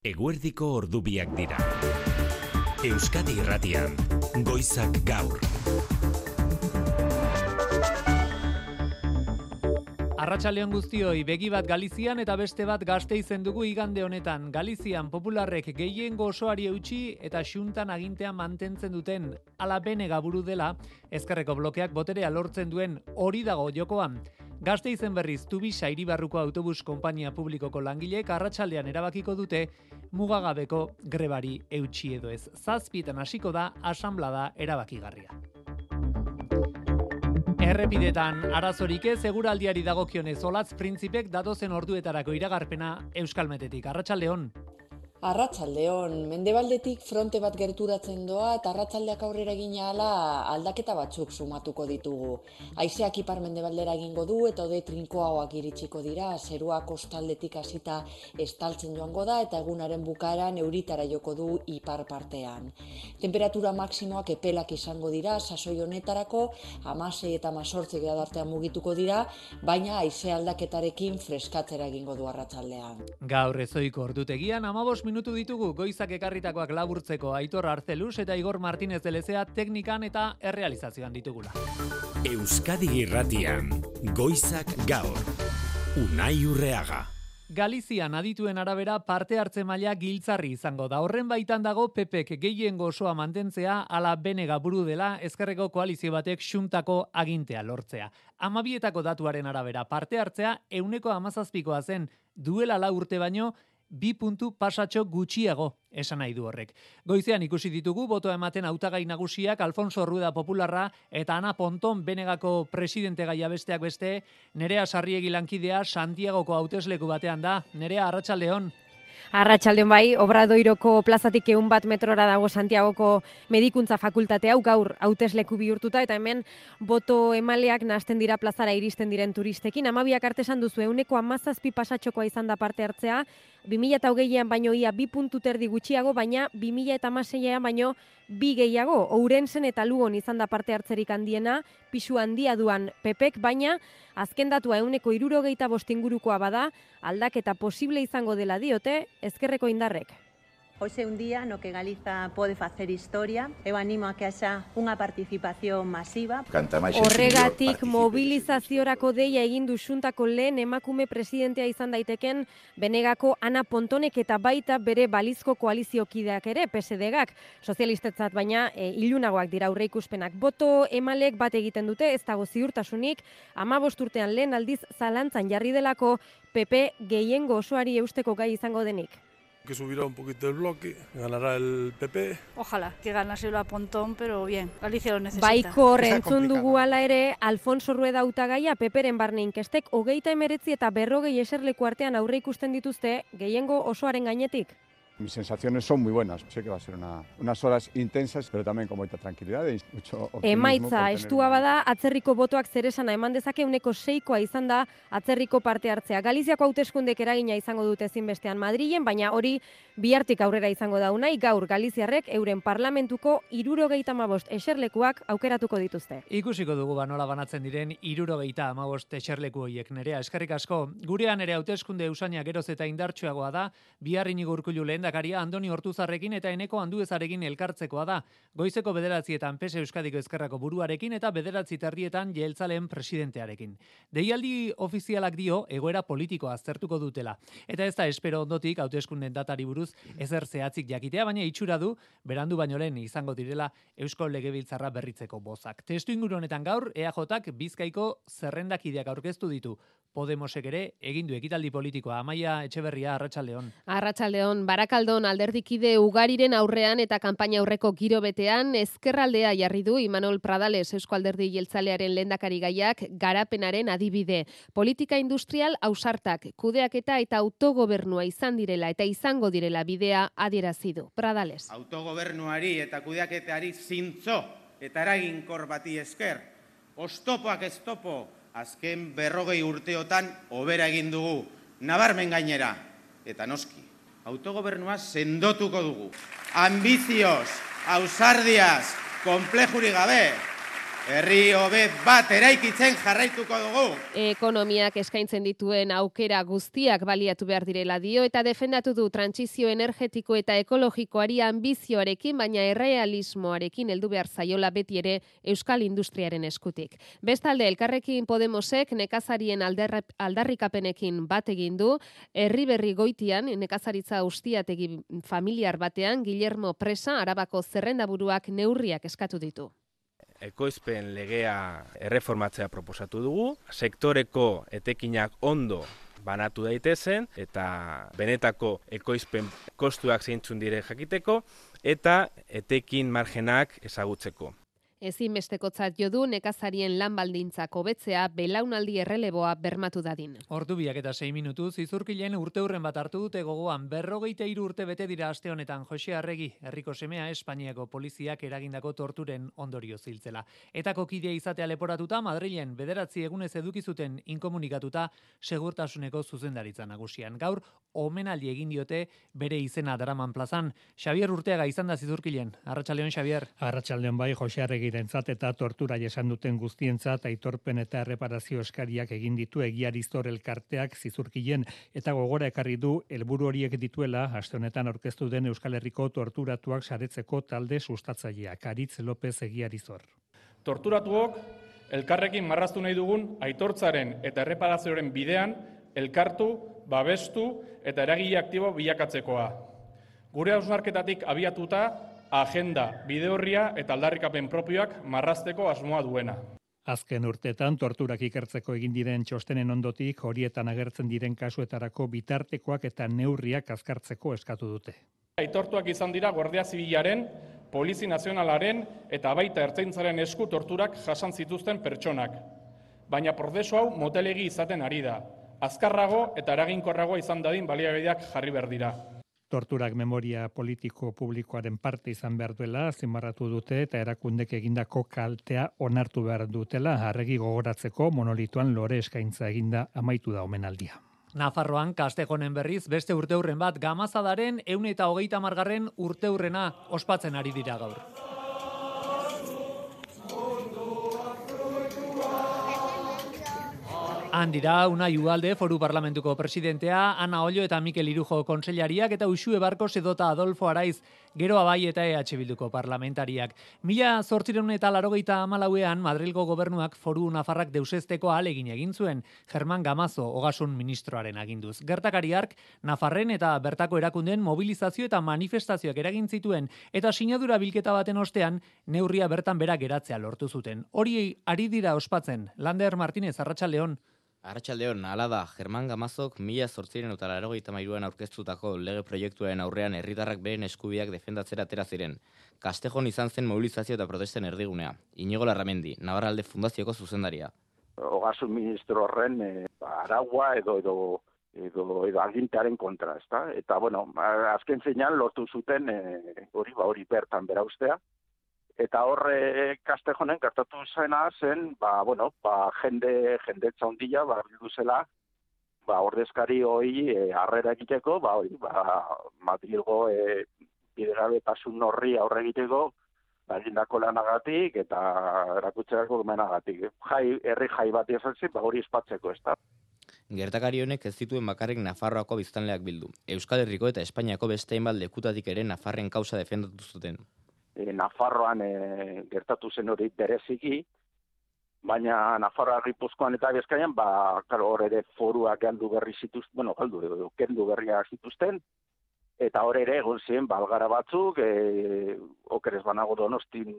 Eguerdiko ordubiak dira. Euskadi Irratian, Goizak Gaur. Arratsaldeon guztioi, begi bat Galizian eta beste bat Gasteizen dugu igande honetan. Galizian popularrek gehiengo osoari eutsi eta xuntan agintea mantentzen duten ala benega buru dela, ezkerreko blokeak boterea lortzen duen hori dago jokoan. Gasteizen berriz Tubisa hiribarruko autobus konpainia publikoko langileek arratsaldean erabakiko dute mugagabeko grebari eutsi edo ez. 7:00 hasiko da asanblada erabakigarria. Errepidetan arazorik ez, eguraldiari dagokionez Olatz Printzipek datozen orduetarako iragarpena Euskalmetetik. Arratsaldeon. Arratsaldeon, mendebaldetik fronte bat gerturatzen doa eta arratsaldeak aurrera egin ahala aldaketa batzuk sumatuko ditugu. Haizeak ipar-mendebaldera egingo du eta hodei trinkoagoak iritsiko dira, zerua kostaldetik hasita estaltzen joango da eta egunaren bukaeran euritara joko du ipar partean. Temperatura maksimoak epelak izango dira, sasoi honetarako 16 eta 18 gradu artean mugituko dira, baina haize aldaketarekin freskatzera egingo du arratsaldean. Gaur ezoiko ordutegian 15 minutu ditugu Goizak ekarritakoak laburtzeko. Aitor Arzeluz eta Igor Martínez de Lezea teknikan eta errealizazioan ditugula. Euskadi Irratian, Goizak Gaur. Unai Urreaga. Galizian adituen arabera parte hartze maila giltzarri izango da. Horren baitan dago PPek gehiengo osoa mantentzea ala benega buru dela ezkerreko koalizio batek xuntako agintea lortzea. 12etako datuaren arabera parte hartzea 17%koa zen, duela 4 urte baino 2 puntu pasatxo gutxiago esan nahi du horrek. Goizean ikusi ditugu botoa ematen hautagai nagusiak Alfonso Rueda Popularra eta Ana Ponton benegako presidente gaia besteak beste. Nerea Sarriegi lankidea Santiagoko hautesleku batean da. Nerea, arratsaldeon. Arratsaldeon bai, Obradoiroko plazatik 100 metrora dago Santiagoko medikuntza fakultate hau gaur hautesleku bihurtuta eta hemen boto emaleak nahasten dira plazara iristen diren turistekin. 12ak arte esan duzu 17% pasatxokoa izan da parte hartzea, 2020an baino ia 2 puntu terdi gutxiago, baina 2016an baino 2 gehiago. Ourensen eta Lugon izan da parte hartzerik handiena, pisu handia duan PPek, baina azken datua 65% ingurukoa bada, aldaketa posible izango dela diote ezkerreko indarrek. Hoxe un día no que Galiza pode facer historia. Eu animo a que haxa unha participación masiva. Horregatik mobilizaziorako deia egin du xuntako lehen emakume presidentea izan daiteken benegako Ana Pontonek eta baita bere balizko koaliziokideak ere, PSDgak, sozialistetzat baina ilunagoak dira aurreikuspenak. Boto emalek bat egiten dute, ez dago ziurtasunik, 15 urtean lehen aldiz zalantzan jarri delako PP gehiengo osoari eusteko gai izango denik. Que subirá un poquito el bloque, ganará el PP. Ojalá que ganase la Pontón, pero bien, Galicia lo necesita. Baiko entzun dugu ala ere, Alfonso Rueda hautagaia PPren barne inkestek 39 eta 40 eserleku artean aurre ikusten dituzte gehiengo osoaren gainetik. Mis sensaciones son muy buenas. Sé que va a ser unas horas intensas, pero también con mucha tranquilidad y mucho optimismo. Emaitza, estua bada, atzerriko botoak zeresana eman dezake 6%koa izan da atzerriko parte hartzea. Galiziako hauteskundek eragina izango dute ezinbestean Madrilen, baina hori bihartik aurrera izango da unai, gaur Galiziarrek euren parlamentuko 75 eserlekuak aukeratuko dituzte. Ikusiko dugu nola banatzen diren 75 eserleku horiek. Nerea, eskerrik asko. Gurean ere hauteskunde usaina geroz eta indartsuagoa da, bihar Inigo Urkullu lehendakaria Andoni Ortuzarrekin eta Eneko Anduezarekin elkartzekoa da. Goizeko 9:00 PS Euskadiko Ezkerrako buruarekin eta 9:30 Jeltzaleen presidentearekin. Deialdi ofizialak dio egoera politikoa aztertuko dutela. Eta ez da espero ondotik hauteskunden datari buruz ezer zehatzik jakitea, baina itxura du berandu baino lehen izango direla Eusko Legebiltzarra berritzeko bozak. Testu inguru honetan gaur EAJak Bizkaiko zerrendakideak aurkeztu ditu. Podemosek ere egin du ekitaldi politikoa. Amaia Etxeberria, arratsaldeon. Arratsaldeon, Barakaldon alderdikide ugariren aurrean eta kanpaina aurreko giro betean ezkerraldea jarri du Imanol Pradales Eusko Alderdi Jeltzalearen lehendakari gaiak garapenaren adibide. Politika industrial ausartak, kudeaketa eta autogobernua izan direla eta izango direla bidea adierazi du. Pradales. Autogobernuari eta kudeaketari zintzo eta eraginkor bati esker, oztopoak ez topo, azken 40 urteotan hobera egin dugu, nabarmen gainera, eta noski, autogobernua sendotuko dugu. Ambizioz, ausardiaz, konplejuri gabe, herri hobe bat eraikitzen jarraituko dugu. Ekonomiak eskaintzen dituen aukera guztiak baliatu behar direla dio eta defendatu du trantsizio energetiko eta ekologikoari ambizioarekin, baina errealismoarekin heldu behar zaiola beti ere euskal industriaren eskutik. Bestalde, Elkarrekin Podemosek nekazarien aldarrikapenekin bat egin du, Herriberri Goitian nekazaritza ustiategi familiar batean Guillermo Presa Arabako zerrendaburuak neurriak eskatu ditu. Ekoizpen legea erreformatzea proposatu dugu, sektoreko etekinak ondo banatu daitezen eta benetako ekoizpen kostuak zeintzun dire jakiteko eta etekin margenak ezagutzeko. Ezinbestekotzat jo du nekazarien lan baldintzak hobetzea belaunaldi erreleboa bermatu dadin. Ordu 2:06 minutuz, Izurkilen urteurren bat hartu dute gogoan 43 urte bete dira aste honetan Jose Arregi, herriko semea Espainiako poliziak eragindako torturen ondorio ziltzela. Etako kidea izatea leporatuta Madrilen 9 egunez eduki zuten inkomunikatuta segurtasuneko zuzendaritza nagusian. Gaur omenaldi egin diote bere izena daraman plazan. Xabier Urteaga izan da Izurkilen. Arratsaldeon Xabier. Arratsaldeon bai Jose Arregi eta tortura jasan duten guztientzat aitorpen eta erreparazio eskariak egin ditu Egiariztor elkarteak Zizurkilen eta gogora ekarri du helburu horiek dituela aste honetan aurkeztu den Euskal Herriko torturatuak saretzeko talde sustatzaileak. Aritz López Egiariztor. Torturatuok elkarrekin marraztu nahi dugun aitortzaren eta erreparazioaren bidean elkartu, babestu eta eragile aktibo bilakatzekoa. Gure hausnarketatik abiatuta agenda, bidehorria eta aldarrikapen propioak marrazteko asmoa duena. Azken urteetan torturak ikertzeko egin diren txostenen ondotik horietan agertzen diren kasuetarako bitartekoak eta neurriak azkartzeko eskatu dute. Aitortuak izan dira Guardia Zibilaren, Polizi Nazionalaren eta baita Ertzaintzaren esku torturak jasan zituzten pertsonak. Baina prozesu hau motelegi izaten ari da. Azkarrago eta eraginkorragoa izan dadin baliabideak jarri behar dira. Torturak memoria politiko publikoaren parte izan behar duela, azpimarratu dute eta erakundek egindako kaltea onartu behar dutela, Arregi gogoratzeko monolitoan lore eskaintza eginda amaitu da omenaldia. Nafarroan Kastejonen berriz beste urteurren bat Gamazadaren 130. urteurrena ospatzen ari dira gaur. Handira, Unai Ugalde, Foru Parlamentuko presidentea, Ana Ollo eta Mikel Irujo konseilariak eta Uxue Barkos edota Adolfo Araiz, Gero Abai eta EH Bilduko parlamentariak. 1884ean Madrilgo gobernuak Foru Nafarrak deusesteko ahalegin egin zuen, German Gamazo ogasun ministroaren aginduz. Gertakariak Nafarren eta bertako erakundeen mobilizazio eta manifestazioak eragin zituen eta sinadura bilketa baten ostean neurria bertan bera geratzea lortu zuten. Hori ari dira ospatzen. Lander Martínez, Arratsaldeon. Arratsaldeon, hala da, German Gamazok 1883an aurkeztutako lege proiektuaren aurrean herritarrak beren eskubideak defendatzera atera ziren. Kastejon izan zen mobilizazio eta protesten erdigunea. Iñigo Larramendi, Navarralde Fundazioko zuzendaria. Ogasun ministro horren aragua edo agintearen kontra, ezta? Eta bueno, azken zeinan lortu zuten hori bertan bera ustea. Eta horre Kastejonen gertatu zena zen, jendetza ondila, bildu zela, ordezkari hori harrera egiteko, Madrilgo bidegabetasun horri aurre egiteko, egindako lanagatik eta erakutzerako menagatik. Herri jai bat izan zen, hori espatzeko, ez da. Gertakari honek ez zituen bakarrik Nafarroako biztanleak bildu. Euskal Herriko eta Espainiako beste hainbat lekutatik ere Nafarren kausa defendatu zuten. Nafarroan gertatu zen hori bereziki, baina Nafarroa, Gipuzkoan eta Bizkaian, hor ere foruak kendu berriak zituzten, eta hor ere egon ziren balgara batzuk, okerez banago Donostin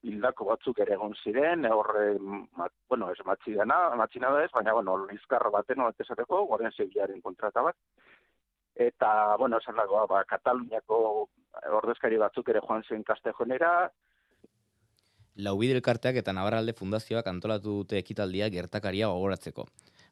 hildako batzuk ere egon ziren, horre, ez matxina da ez, baina, lizkarra baten esateko, Guardia Zibilaren kontrata bat. Eta, esan dago, Kataluniako ordezkari batzuk ere joan zen Kastejonera. Laubide elkarteak eta Navarralde Fundazioak antolatu dute ekitaldia gertakaria gogoratzeko.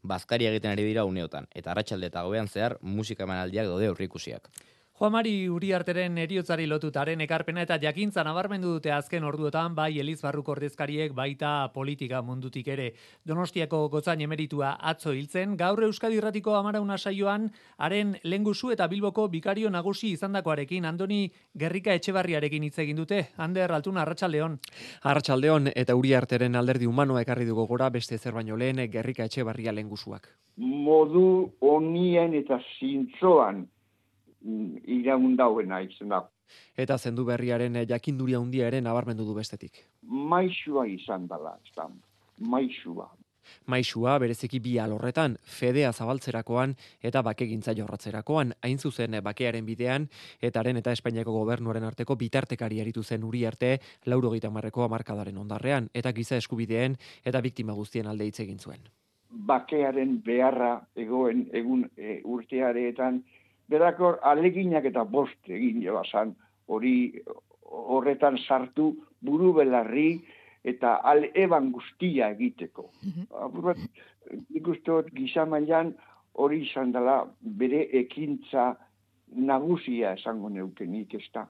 Bazkaria egiten ari dira uneotan, eta arratsalde eta gobean zehar musika emanaldiak daude aurreikusiak. Juan Mari Uriarteren heriotzari lotutaren ekarpena eta jakintza nabarmendu dute azken orduotan bai Elizbarruko ordezkariek baita politika mundutik ere. Donostiako gotzain emeritua atzo hiltzen, gaur Euskadi Irratiko Amarauna saioan haren lengusu eta Bilboko bikario nagusi izandakoarekin Andoni Gerrika Etxebarriarekin hitz egin dute. Ander Altuna, arratsaldeon. Arratsaldeon eta Uriarteren alderdi humanoa ekarri dugu gora beste zer baino lehen Gerrika Etxebarria lengusuak. Modu honien eta zintzoan iraundauena izan da. Eta zendu berriaren jakinduria handia ere nabarmendu du bestetik. Maisua izan dela, maisua. Maisua bereziki bi alorretan, fedea zabaltzerakoan eta bakegintza jorratzerakoan, hain zuzen bakearen bidean, etaren eta Espainiako gobernuaren arteko bitartekari aritu zen Uriarte 90ko hamarkadaren ondarrean, eta giza eskubideen eta biktima guztien alde hitz egin zuen. Bakearen beharra egun urteareetan, berakor aleginak eta bost egin jebazan, horretan sartu buru belarri eta eban guztia egiteko. Nik uste gizamailan hori izan dela bere ekintza nagusia esango neukenik ez da.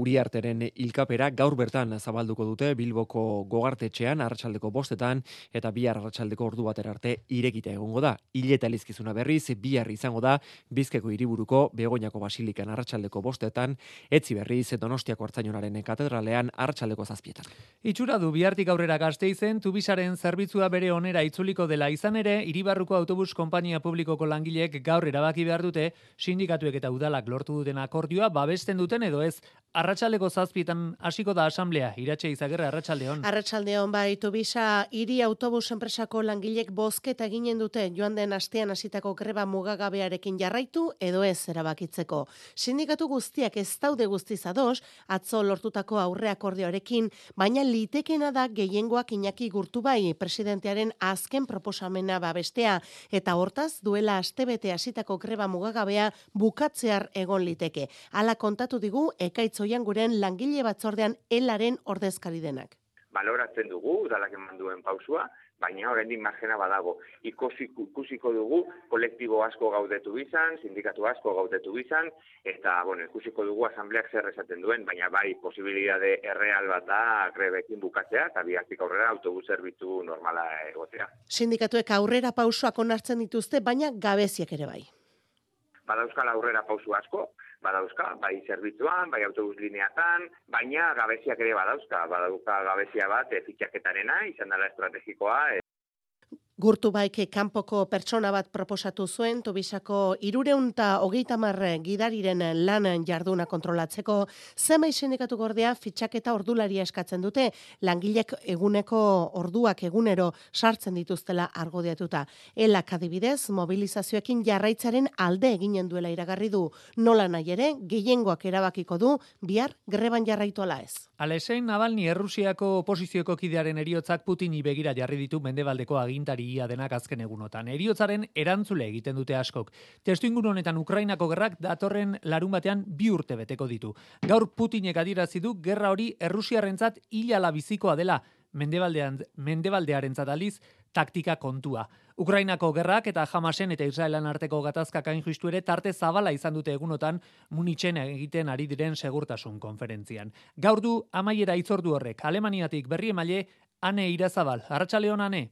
Uriarteren hilkapera gaur bertan zabalduko dute Bilboko Gogartetxean arratsaldeko 5etan eta bihar arratsaldeko ordu batera arte irekita egongo da. Hileta elizkizuna berriz bihar izango da Bizkaiko hiriburuko Begoñako Basilikan arratsaldeko 5etan, etzi berriz Donostiako Artzainonaren katedralean arratsaldeko 7etan. Itxura du bihartik aurrera Gasteizen Tubisaren zerbitzua bere onera itzuliko dela izan ere, Hiribarruko autobus konpainia publikoko langileek gaur erabaki behar dute sindikatuek eta udalak lortu duten akordioa babesten duten edo ez. Arratsaldeko 7etan hasiko da asamblea. Iratxe Izagirre, arratsaldeon. Arratsaldeon bai, Tubisa hiri autobus enpresako langilek bozketa eginen dute joan den astean hasitako greba mugagabearekin jarraitu edo ez erabakitzeko. Sindikatu guztiak ez daude guztiz ados, atzo lortutako aurre akordioarekin, baina litekena da gehiengoak Iñaki Gurtubai presidentearen azken proposamena babestea eta hortaz duela astebete hasitako greba mugagabea bukatzear egon liteke. Hala kontatu digu Ekaitz Oianguren langile batzordean elaren ordezkari denak. Baloratzen dugu, udalak eman duen pausua, baina oraindik margena badago. Ikusiko dugu kolektibo asko gaudetu izan, sindikatu asko gaudetu izan, eta ikusiko dugu asambleak zer esaten duen, baina bai posibilitate erreal bat da grebekin bukatzea, eta bihartik aurrera autobus zerbitzu normala egotea. Sindikatuek aurrera pausoak onartzen dituzte, baina gabeziak ere bai. Badauzkal aurrera pausu asko, badauzka, bai zerbitzuan, bai autobus lineatan, baina gabeziak ere badauka gabezia bat fitxaketarena, izan dela estrategikoa. Gurtubaik kanpoko pertsona bat proposatu zuen, Tubisako 330 gidariren lan jarduna kontrolatzeko, zenbait sindikatu gordea fitxaketa ordularia eskatzen dute, langilek eguneko orduak egunero sartzen dituztela argudiatuta. Elak adibidez, mobilizazioekin jarraitzaren alde eginen duela iragarri du, nola nahi ere, gehiengoak erabakiko du, bihar greban jarraitu ala ez. Alexei Navalny Errusiako oposizioko kidearen heriotzak Putini begira jarri ditu mendebaldeko agintari ia denak azken egunotan. Heriotzaren erantzule egiten dute askok. Testuinguru honetan Ukrainako gerrak datorren larunbatean 2 urte beteko ditu. Gaur Putinek adierazi du gerra hori Errusiarrentzat hilala bizikoa dela, mendebaldearentzat aliz taktika kontua. Ukrainako gerrak eta Hamasen eta Israelan arteko gatazkak hain justu ere tarte zabala izan dute egunotan Munichen egiten ari diren segurtasun konferentzian. Gaur du amaiera hitzordu horrek. Alemaniatik berri emaile Ane Irazabal. Arratsaldeon Ane.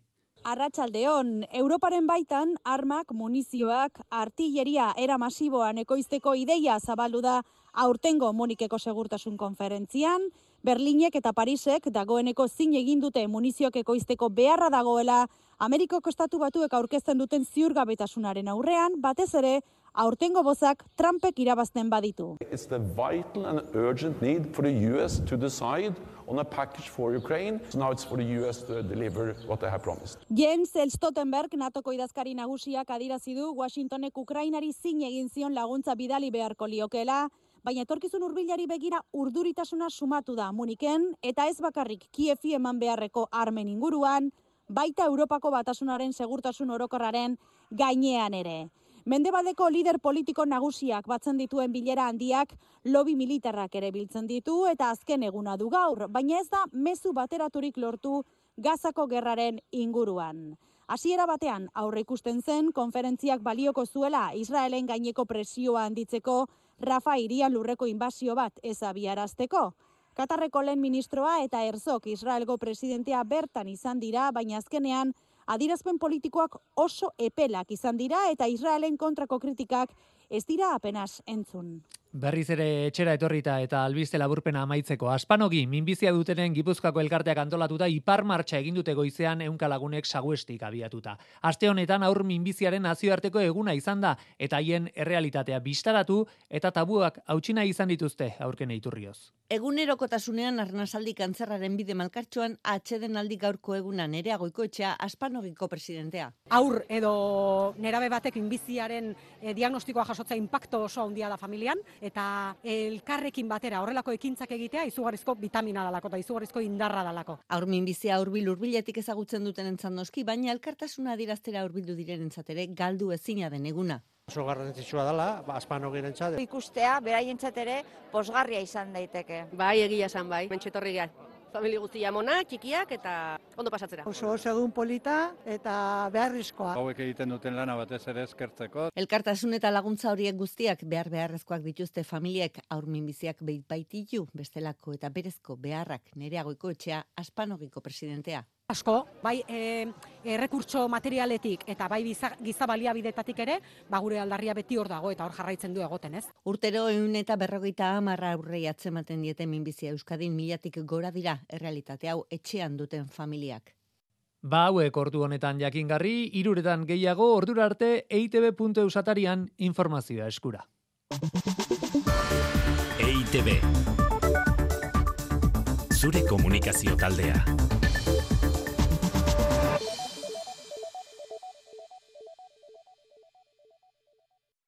Arratsaldeon, Europaren baitan armak, munizioak, artilleria era masiboan ekoizteko ideia zabaldu da aurtengo Munikeko segurtasun konferentzian, Berlinek eta Parisek dagoeneko zin egin dute munizioak ekoizteko beharra dagoela Amerikako Estatu Batuek aurkezten duten ziurgabetasunaren aurrean, batez ere aurtengo bozak Trumpek irabazten baditu. It's the vital and urgent need for the US to decide on a package for Ukraine. So now it's for the US to deliver what they have promised. Jens Stoltenberg, NATOko idazkari nagusiak adierazi du Washingtonek Ukrainari zin egin zion laguntza bidali beharko liokeela, baina etorkizun hurbilari begira urduritasuna sumatu da Muniken eta ez bakarrik Kievi eman beharreko armen inguruan, baita Europako Batasunaren segurtasun orokorraren gainean ere. Mendebaldeko lider politiko nagusiak batzen dituen bilera handiak lobby militarrak ere biltzen ditu eta azken eguna du gaur, baina ez da mezu bateraturik lortu Gazako gerraren inguruan. Hasiera batean aurre ikusten zen konferentziak balioko zuela Israelen gaineko presioa handitzeko Rafa hirian lurreko inbasio bat ez abiarazteko. Katarreko lehen ministroa eta Herzog Israelgo presidentea bertan izan dira, baina azkenean adierazpen politikoak oso epelak izan dira eta Israelen kontrako kritikak ez dira apenas entzun. Berriz ere etxera etorrita eta albiste laburpena amaitzeko. Aspanogi, minbizia dutenen Gipuzkoako elkarteak antolatuta ipar martxa egin dute goizean 100 lagunek Saguestik abiatuta. Aste honetan aur minbiziaren nazioarteko eguna izan da eta haien errealitatea bistaratu eta tabuak hautsina izan dituzte aurken iturrioz. Egunerokotasunean arnasaldi kantzerraren bide malkartxoan atsedenaldi gaurko eguna Nerea Goikoetxea Aspanogiko presidentea. Aur edo nerabe batek minbiziaren diagnostikoa jasotzea inpakto oso handia da familian, eta elkarrekin batera horrelako ekintzak egitea izugarrizko vitamina dalako eta izugarrizko indarra dalako. Aur minbizia hurbiletik ezagutzen duten entzat noski, baina elkartasuna adieraztera hurbildu direnentzat ere galdu ezina den eguna. Oso garrantzitsua dela, Aspanogirentzat. Ikustea, beraientzat ere posgarria izan daiteke. Bai, egia esan bai, mentxetorri gehan. Familia guztia mona, txikiak eta ondo pasatzera. Oso egun polita eta beharrizkoa. Hauek egiten duten lana batez ere eskertzeko. Elkartasun eta laguntza horiek guztiak beharrezkoak dituzte familiek aur minbiziak baititu bestelako eta berezko beharrak Nerea Goikoetxea Aspanogiko presidentea. Asko, bai errekurtso materialetik eta bai giza baliabidetatik ere, gure aldarria beti hor dago eta hor jarraitzen du egoten, ez? Urtero 150 aurrei atzematen diete minbizia Euskadin 1000tik gora dira errealitate hau etxean duten familiak. Hauek ordu honetan jakingarri, 3 gehiago ordura arte eitb.eus atarian informazioa eskura. EITB. Zure komunikazio taldea.